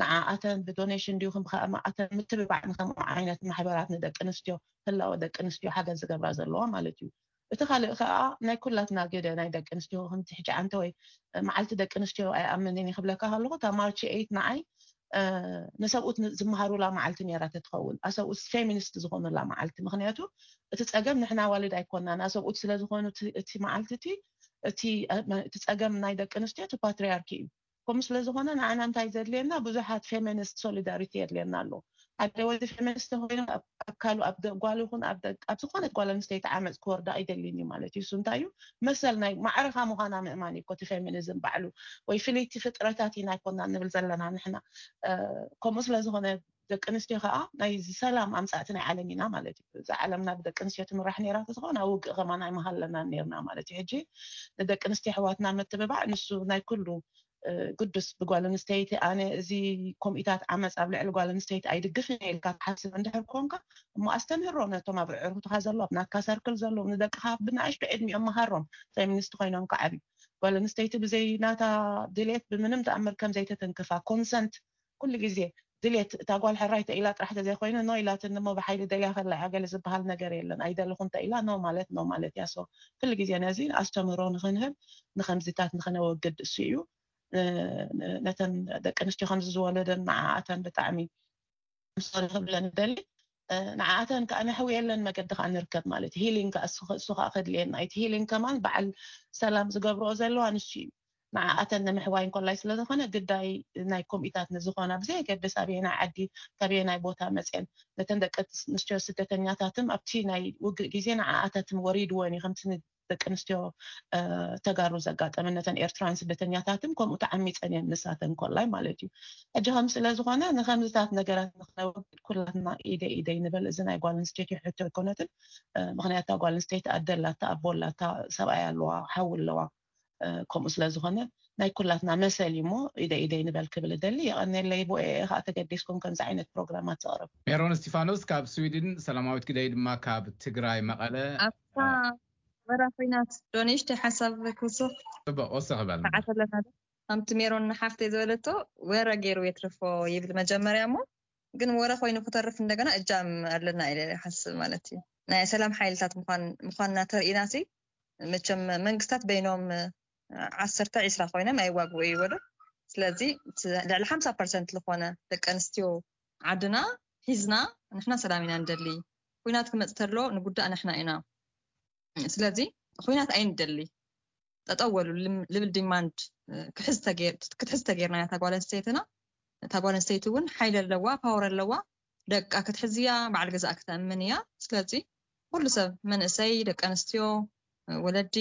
ንዓኣተን ብዶኔሽን ድዩ ክምኣተን ምትብባዕ ንከምኡ ዓይነት ማሕበራት ንደቂ ኣንስትዮ፣ ህላወ ደቂ ኣንስትዮ ሓገዝ ዝገብራ ዘለዋ ማለት እዩ። እቲ ካልእ ከዓ ናይ ኩላትና ግደ ናይ ደቂ ኣንስትዮ ከምቲ ሕጂ ዓንተ ወይ መዓልቲ ደቂ ኣንስትዮ ኣይኣምንን ይክብለካ ከለኹ፣ እታ ማርች ኤይት ንዓይ ንሰብኡት ዝመሃሩላ መዓልቲ ነራ ተትኸውን፣ ኣሰብኡት ፌሚኒስት ዝኾኑላ መዓልቲ። ምክንያቱ እቲ ፀገም ንሕና ዋልድ ኣይኮናን፣ ኣሰብኡት ስለዝኾኑ እቲ መዓልቲ እቲ እቲ ጸገም ናይ ደቂ ኣንስትዮ እቲ ፓትሪያርኪ እዩ። ከምኡ ስለ ዝኾነ ንዓና እንታይ ዘድልየና፣ ብዙሓት ፌሚኒስት ሶሊዳሪቲ የድልየና ኣሎ። ሓደ ወዲ ፌሚኒስት ኮይኑ ኣብ ኣካሉ ኣብ ጓል ይኹን ኣብ ዝኾነት ጓል ኣንስተይቲ ዓመፅ ክወርዳ ኣይደልን እዩ ማለት እዩ። እሱ እንታይ እዩ፣ መሰል ናይ ማዕረኻ ምዃና ምእማን እዩ እቲ ፌሚኒዝም ባዕሉ። ወይ ፍልይቲ ፍጥረታት ኢና ኣይኮና ንብል ዘለና ንሕና። ከምኡ ስለ ዝኾነ ደቂ ኣንስትዮ ከዓ ናይ ሰላም ኣምፃእቲ ናይ ዓለም ኢና ማለት እዩ። እዛ ዓለምና ብደቂ ኣንስትዮ ትምራሕ ነራ ተዝኾን ኣብ ውግእ ከማን ኣይመሃለናን ነርና ማለት እዩ። ሕጂ ንደቂ ኣንስትዮ ኣሕዋትና ምትብባዕ ንሱ ናይ ኩሉ ግዱስ ብጓል ኣንስተይቲ ኣነ እዚ ኮምኢታት ዓመፅ ኣብ ልዕሊ ጓል ኣንስተይቲ ኣይድግፍን ኢልካ ትሓስብ እንድሕር ኮንካ እሞ ኣስተምህሮ ነቶም ኣብ ዕርክትካ ዘሎ ኣብ ናትካ ሰርክል ዘለዉ ንደቅካ ብናእሽቱ ዕድሚኦም መሃሮም ፌሚኒስት ኮይኖም ክዓብዩ ጓል ኣንስተይቲ ብዘይ ናታ ድሌት ብምንም ተኣምር ከም ዘይተተንክፋ ኮንሰንት ኩሉ ግዜ ድሌት እታ ጓል ሕራይ ተኢላ ጥራሕ ተዘይኮይኑ ኖ ኢላትኒ እሞ ብሓይሊ ደልያ ከላ እያ ገለ ዝበሃል ነገር የለን ኣይደለኹን ተኢላ ኖ ማለት ኖ ማለት እያ so ኩሉ ግዜ ነዚ ኣስተምህሮ ንክንህብ ንከምዚታት ንክነወግድ እሱ እዩ ነተን ደቂ ኣንስትዮ ከምዚ ዝወለደን ንዓኣተን ብጣዕሚ ምሳሌ ክብለን ደሊ ንዓኣተን ከዓ ነሕውየለን መገዲ ከዓ ንርከብ ማለት ሂሊንግ እሱ ከዓ ከድልየና እቲ ሂሊንግ ከማን በዓል ሰላም ዝገብርኦ ዘለዋ ንሱ እዩ ንዓኣተን ንምሕዋይ እንኮላይ ስለዝኾነ ግዳይ ናይ ኮምኢታት ንዝኾና ብዘየገድስ ኣበየናይ ዓዲ ካበየናይ ቦታ መፅን ነተን ደቂ ኣንስትዮ ስደተኛታትም ኣብቲ ናይ ውግእ ግዜ ንዓኣታትም ወሪድወን እዩ ከምቲ ደቂ ኣንስትዮ ተጋሩ ዘጋጠመ ነተን ኤርትራውያን ስደተኛታትን ከምኡ ተዓሚፀን እየን ንሳተን ኮላይ ማለት እዩ ሕጂ ከም ስለዝኾነ ንከምዝታት ነገራት ንክነወግድ ኩላትና ኢደ ኢደይ ንበል እዚ ናይ ጓል ኣንስተይቲ ሕቶ ኣይኮነትን ምክንያቱ ጓል ኣንስተይቲ ኣደላታ ኣቦላታ ሰብኣይ ኣለዋ ሓው ኣለዋ ከምኡ ስለዝኾነ ናይ ኩላትና መሰል እዩ እሞ ኢደ ኢደይ ንበል ክብል እደሊ የቐኔለይ ብኤ ከዓ ተገዲስኩም ከምዚ ዓይነት ፕሮግራማት ዘቕርብ ሜሮን እስቲፋኖስ ካብ ስዊድን ሰላማዊት ግደይ ድማ ካብ ትግራይ መቐለ ኣብታ ወረ ኮይናት ዶኔሽተ ሓሳብ ክውስኽ ፅቡቅ ወስኽ በል ተዓተለና ከምቲ ሜሮን ሓፍተይ ዝበለቶ ወረ ገይሩ የትርፎ ይብል መጀመርያ እሞ ግን ወረ ኮይኑ ክተርፍ እንደገና እጃም ኣለና ኢለ ሓስብ ማለት እዩ ናይ ሰላም ሓይልታት ምኳንና ተርእና ሲ መቸም መንግስታት በይኖም ዓሰርተ ዒስራ ኮይኖም ኣይዋግኡ እዩ ወዶ ስለዚ ልዕሊ ሓምሳ ፐርሰንት ዝኾነ ደቂ ኣንስትዮ ዓድና ሒዝና ንሕና ሰላም ኢና ንደሊ ኩናት ክመፅ ተሎ ንጉዳእ ንሕና ኢና ስለዚ ኩናት ኣይንደሊ ጠጠው በሉ ልብል ዲማንድ ክትሕዝ ተገይርና እያ ታጓል ኣንስተይትና እታ ጓል ኣንስተይቲ እውን ሓይሊ ኣለዋ ፓወር ኣለዋ ደቃ ክትሕዝ እያ በዓል ገዛእ ክተእምን እያ ስለዚ ኩሉ ሰብ መንእሰይ ደቂ ኣንስትዮ ወለዲ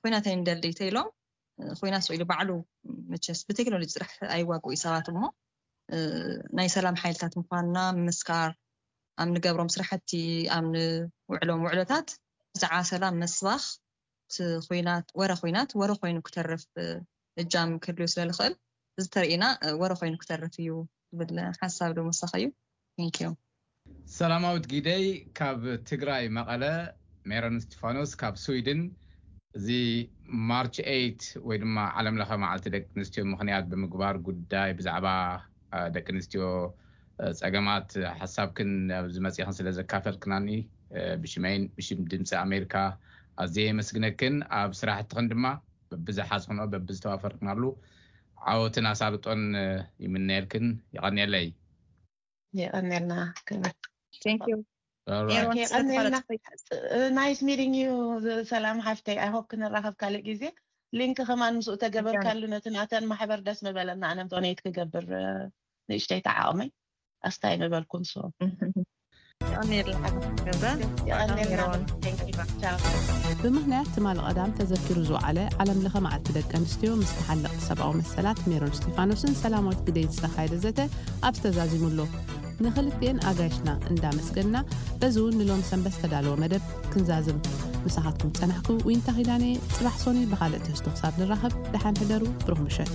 ኩናት ኣይንደሊ ተኢሎም ኩናት ስኢሉ ባዕሉ መቸስ ብቴክኖሎጂ ጥራሕ ኣይዋግኡ ሰባት እሞ ናይ ሰላም ሓይልታት ምኳንና ምምስካር ኣብ ንገብሮም ስራሕቲ ኣብ ንውዕሎም ውዕሎታት ብዛዕባ ሰላም መስባኽ ኩናት ወረ ኩናት ወረ ኮይኑ ክተርፍ እጃም ክህልዩ ስለ ዝኽእል እዚ ተርእና ወረ ኮይኑ ክተርፍ እዩ ዝብል ሓሳብ ዶ መሳኺ እዩ ቴንኪዩ ሰላማዊት ጊደይ ካብ ትግራይ መቐለ ሜሮን እስቲፋኖስ ካብ ስዊድን እዚ ማርች ኤይት ወይ ድማ ዓለም ለኸ መዓልቲ ደቂ ኣንስትዮ ምኽንያት ብምግባር ጉዳይ ብዛዕባ ደቂ ኣንስትዮ ፀገማት ሓሳብክን ኣብዚ መፂኽን ስለ ዘካፈልክናኒ ብሽመይን ብሽም ድምፂ ኣሜሪካ ኣዝየ የመስግነክን ኣብ ስራሕትኽን ድማ በብዝሓዝኽንኦ በብዝተዋፈርክናሉ ዓወትን ኣሳልጦን ይምነየልክን ይቐንየለይ የቐንየልና ክብር Thank you All right. Yes, and then nice meeting you ሰላም ሓፍተይ I hope ክንራኸብ ካልእ ግዜ ሊንክ ከማን ምስኡ ተገበርካሉ ነቲ ናተን ማሕበር ደስ ምበለና ኣነ ዶኔት ክገብር ንእሽተይ ተዓቕመይ ኣስታይ ምበልኩም so የቐንየልና ገዛ የቐንየልና Thank you. Ciao. ብምኽንያት ትማሊ ቀዳም ተዘኪሩ ዝወዓለ ዓለም ለኸ መዓልቲ ደቂ ኣንስትዮ ምስ ተሓለቕቲ ሰብኣዊ መሰላት ሜሮን እስጢፋኖስን ሰላማዊት ግደይን ዝተኻየደ ዘተ ኣብዚ ተዛዚሙ ኣሎ። ንኽልቲኤን ኣጋይሽና እንዳመስገንና በዚ እውን ንሎም ሰንበት ዝተዳለወ መደብ ክንዛዝም ምሳኻትኩም ዝጸናሕኩ ዊንታ ኺዳነ ጽባሕ ሶኒ ብኻልእ ትሕዝቶ ክሳብ ንራኸብ ደሓን ሕደሩ ብሩኽ ምሸት